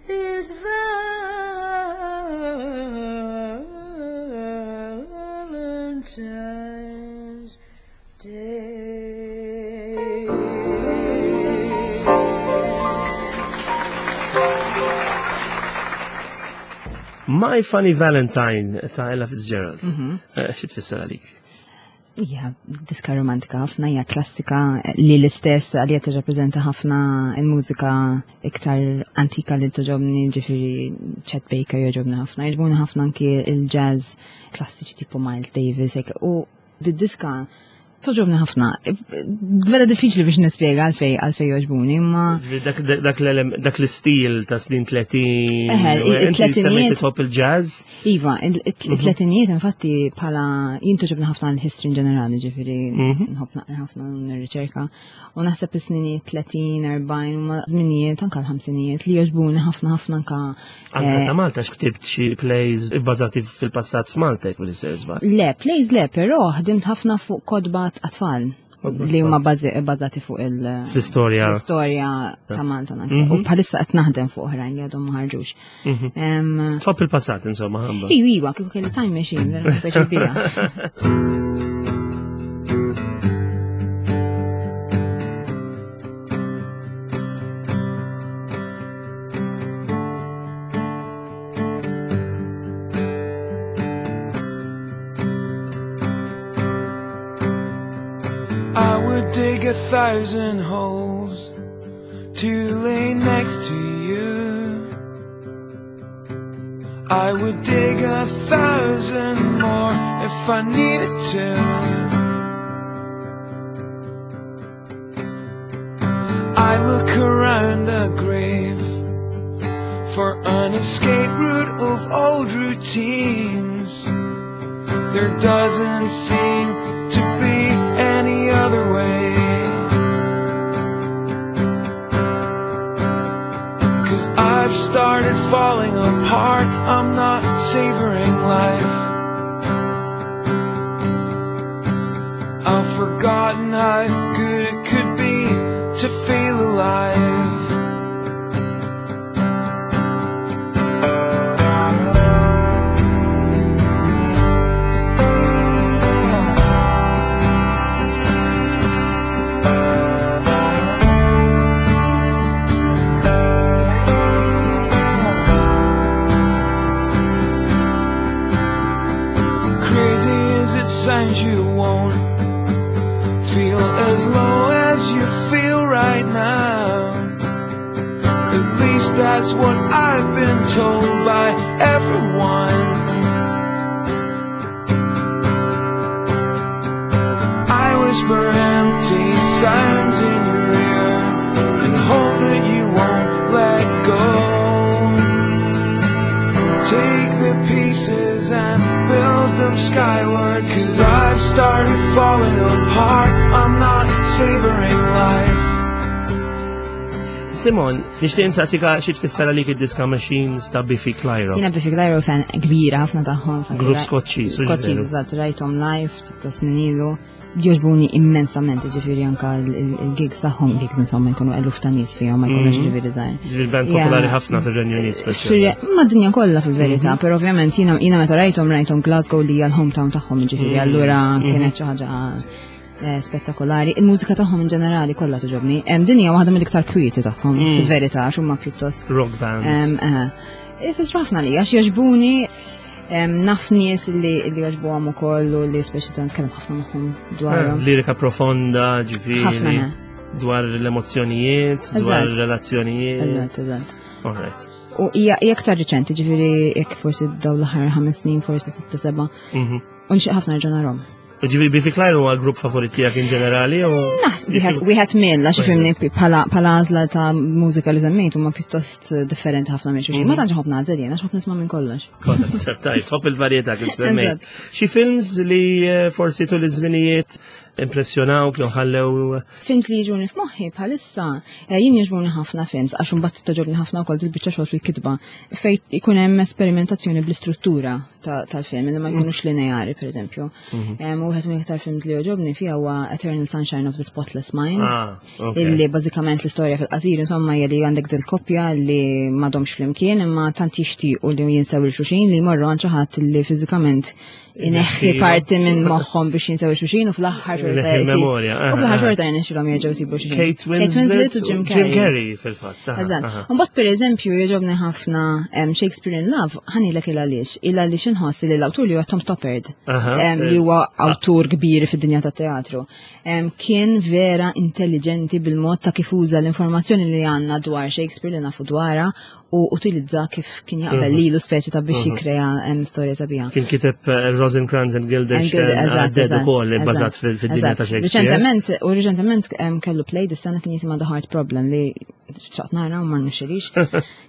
is Valentine's Day. My Funny Valentine ta' Ella Fitzgerald. Mhm. Eh, Xi tfisser għalik? Hija diska romantika ħafna, hija klassika li l-istess għalija tirrappreżenta ħafna il-mużika iktar antika li toġobni, ġifieri Chet Baker jogħġobni ħafna, jogħġbuni ħafna anki il-jazz klassiċi tipo Miles Davis, u di-diska toġobni ħafna. Vera diffiċli biex nispjega għalfej għalfej joġbuni, imma. Dak l-istil ta' snin 30. Eħe, il-tletinijiet. Tħobb il-jazz? Iva, il-tletinijiet infatti bħala jien toġobni ħafna l-history in ġenerali, ġifieri mhm. nħobb naqra ħafna nirriċerka. U naħseb is-sninijiet 30, 40, huma żminijiet anka l-ħamsinijiet li jogħġbuni ħafna ħafna anka. Anka eh, ta' Malta x'ktibt xi plays ibbażati fil-passat f'Malta jekk mill-istess Le, plays le, però ħdimt ħafna fuq kodba għat-tfal li huma bbażati fuq il- L-istorja. L-istorja ta' Malta naħseb. U mhm. bħalissa qed naħdem fuq oħrajn li għadhom ma ħarġux. Mhm. Tħobb il-passat insomma. Iwa, iwa, kieku kelli time machine, vera speċi bija. I would dig 1,000 holes to lay next to you. I would dig 1,000 more if I needed to. I look around the grave for an escape route of old routines. There doesn't seem to be any other way. Cause I've started falling apart, I'm not savoring life. I've forgotten how good it could be to feel alive. Crazy as it sounds, you won't feel as low as you feel right now. At least that's what I've been told by everyone. I whisper empty sounds in your ear and hope that you won't let go. Take the pieces and build them skyward. Cause I started falling apart, I'm not savoring life. Simon, nixtieq insaqsika xi tfisser għalik id-diska Machines ta' Biffy Clyro. Jiena Biffy Clyro fan kbira ħafna tagħhom. Grupp Skoċċiż. Skoċċiż, eżatt, rajthom live ta' snin ilu. Jogħġbuni immensament, ġifieri anka il-gigs tagħhom, gigs insomma jkunu eluf ta' nies fihom, ma jkunux mhm. ġifieri żgħar. Ġifieri band popolari ħafna fir-Renju Unit speċjalment. Ma dinja kollha fil-verità, mhm. però ovvjament jiena meta rajthom rajthom Glasgow li hija l-hometown tagħhom, ġifieri mhm. allura kienet xi ħaġa Eh, spettakolari. Il-mużika tagħhom in ġenerali kollha togħġobni. Hemm din hija waħda mill-iktar kwieti tagħhom mm. fil-verità għax huma pjuttost rock bands. Eh, ifissru ħafna li għax jogħġbuni naf nies li jogħġbuhom ukoll u li speċi ta' nitkellem ħafna magħhom dwarhom. Eh, lirika profonda, ġifieri. Dwar l-emozzjonijiet, dwar ir-relazzjonijiet. Eżatt, eżatt. All right. U hija aktar riċenti, ġifieri jekk forsi dawn l-aħħar ħames snin, forsi sitta seba'. Mhm. U nixtieq ħafna nerġa' narhom. Ġifieri Biffy Clyro huwa l-grupp favorit tiegħek in ġenerali u Naħseb wieħed mill għax ifhimni bħala għażla ta' mużika li semmejt huma pjuttost differenti ħafna minn xulxin. Ma mhm. tantx ħobb nagħżel jien għax ħobb nisma' minn kollox. Tajt, ħobb il-varjetà kif semmejt. Xi films li eh, forsi tul iż-żminijiet impressjonawk jew ħallew Films li jiġuni f'moħħi bħalissa, eh, jien jiġuni ħafna films għax imbagħad toġobni ħafna wkoll dil-biċċa xogħol fil-kitba fejn ikun hemm esperimentazzjoni bl-istruttura tal-film li ma mm. jkunux lineari pereżempju. Mhm. U wieħed minn iktar films li joġobni fiha huwa Eternal Sunshine of the Spotless Mind. Ah, illi bażikament l-istorja fil-qasir insomma hija li għandek dil-koppja li m'għadhomx flimkien imma tant jixtiequ li jinsew il xulxin li jmorru għand xi ħadd li fiżikament ineħħi parti minn moħħhom biex jinsew xulxin u fl-aħħar xorta memorja. U fl-aħħar xorta jirnexxilhom jerġgħu jsibu xulxin. Kate Winslet u Jim Carrey. Jim Carrey fil-fatt. Eżatt. Mbagħad pereżempju jogħġobni ħafna Shakespeare in Love, ħanilek il għaliex, il għaliex inħoss li l-awtur li huwa Tom Stoppard, li huwa awtur kbir fid-dinja tat-teatru, kien vera intelligenti bil-mod ta' kif uża l-informazzjoni li għandna dwar Shakespeare li nafu dwarha u utilizza kif kien jaqbel mhm. lilu speċi ta' biex mhm. jikrea storja sabiħa. Kien kiteb eh, Rosencrantz and Guildenstern eh, Dead ukoll bbażat fid-dinja ta' Shakespeare. Reċentement, u reċentement kellu play dis-sena kien jisimha The Heart Problem li xaqt nara u ma nixxilix.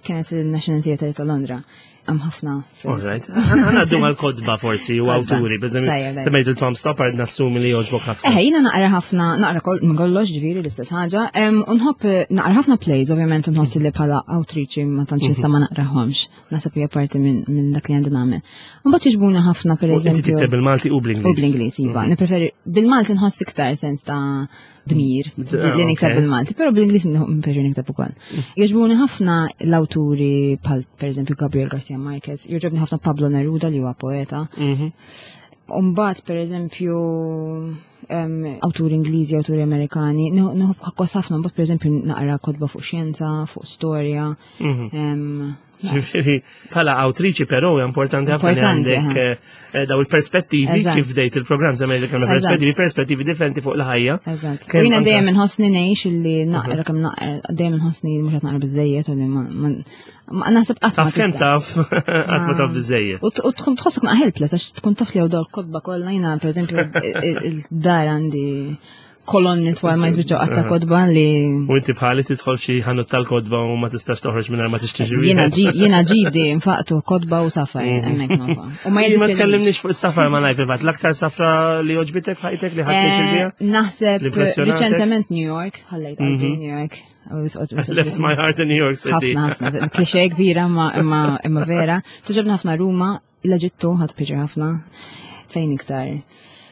Kienet il-National Theatre ta' Londra. Hemm ħafna. Alright. Għaddu għal-kodba forsi u awturi, semmejt il-Tom Stoppard nassumi li joġbok ħafna. Eh, jiena naqra ħafna, naqra minn kollox ġifieri l-istess ħaġa. Unħobb eh, naqra ħafna plays, ovvjament nħoss li bħala awtriċi ma tantx nista' ma naqrahomx. Naħseb hija parti minn dak li għandi nagħmel. Mbagħad jiġbuna ħafna pereżempju. Inti tikteb bil-Malti u bl-Ingliż. U bl-Ingliż, iva. Mhm. Nippreferi bil-Malti nħoss iktar sens ta' dmir ah, li niktab bil-Malti, pero bil-Ingliż nippreferu niktab ukoll. Jogħġbuni ħafna l-awturi bħal pereżempju Gabriel Garcia Marquez, jogħġobni ħafna Pablo Neruda li huwa poeta. Mhm. Umbagħad pereżempju awturi Ingliżi, awturi Amerikani, nħobb ħakkos ħafna, mbagħad pereżempju naqra kotba fuq xjenza, fuq storja. Mhm. Ġifieri, bħala awtriċi però importanti ħafna li għandek eh, eh, daw il-perspettivi kif bdejt il-programm żemmen li kellna perspettivi, perspettivi differenti fuq il-ħajja. Eżatt. Jiena dejjem inħossni ngħix illi naqra kemm naqra dejjem inħossni mhux qed naqra biżejjed u li ma naħseb qatt Taf kemm taf, qatt ma taf biżejjed. U tkun tħossok ma helpless għax tkun taf li hawn kotba kollha jiena pereżempju il-dar għandi kolonni twal ma jispiċċaw qatta kodba li. U inti bħali tidħol xi ħanut tal-kodba u ma tistax toħroġ mingħajr ma tixtri Jiena jiena ġidi nfaqtu kodba u safar mhm. hemmhekk nova. U ma ma tkellimniex fuq safar ma ngħid fil-fatt l-aktar safra li oġbitek ħajtek li ħadd eh, Naħseb riċentement New York, ħallejt qalbi mhm. New York. Left my heart in New York City. Ħafna, ħafna. Klixe kbira imma vera. Tuġobna ħafna Ruma, L-Eġittu ħadd pjaċir ħafna. Fejn iktar?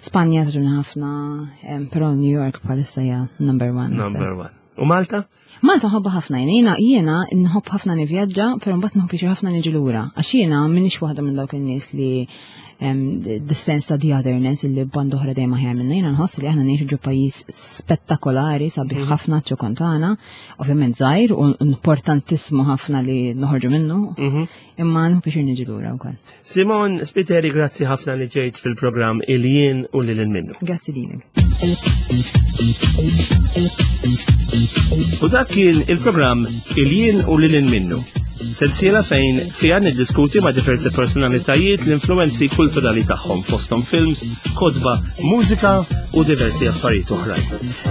Spanja tġuna ħafna, però New York bħalissa hija number one. Number one. U Malta? Malta nħobba ħafna jiena, jiena nħobb ħafna nivvjaġġa, però mbagħad nħobb pjaċir ħafna niġi lura. Għax jiena m'iniex waħda minn dawk in-nies li the sense ta' the otherness illi band oħra dejjem aħjar minna. Jiena nħoss li aħna ngħixu ġo pajjiż spettakolari sabiħ mhm. ħafna ċokontana, ovvjament żgħir u importantissimu ħafna li noħorġu minnu. Mhm. Imma nħu biex niġi lura wkoll. Simon Spiteri, grazzi ħafna li ġejt fil-programm Il-jien u lil minnu. Grazzi lilek. U dak kien il-programm Il-jien u lil minnu. Sensiela fejn fiha niddiskuti ma' diversi personalitajiet l-influenzi kulturali tagħhom fosthom films, kotba, mużika u diversi affarijiet oħrajn.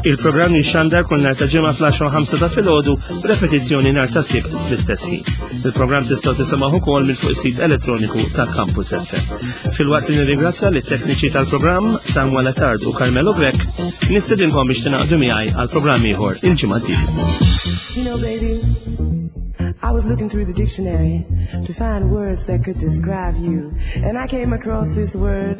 Il-programm jixxandar kull nhar ta' ġimgħa fl-10 ta' filgħodu b'repetizzjoni nhar ta' Sibt fl-istess ħin. Il-programm tistgħu tisimgħu ukoll minn fuq is-sit elettroniku ta' Campus FM. Filwaqt li nirringrazzja lit tekniċi tal-programm Samuel Attard u Carmelo Grech, nistedinkom biex tingħaqdu miegħi għal programm ieħor il-ġimgħa d-dieħla. You know, baby, I was looking through the dictionary to find words that could describe you. And I came across this word,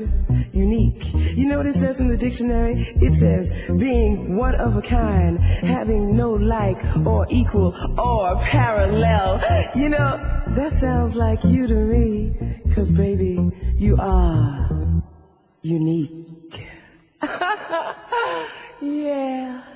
unique. You know what it says in the dictionary? It says being one of a kind, having no like or equal or parallel. You know, that sounds like you to me. Cause baby, you are unique. yeah.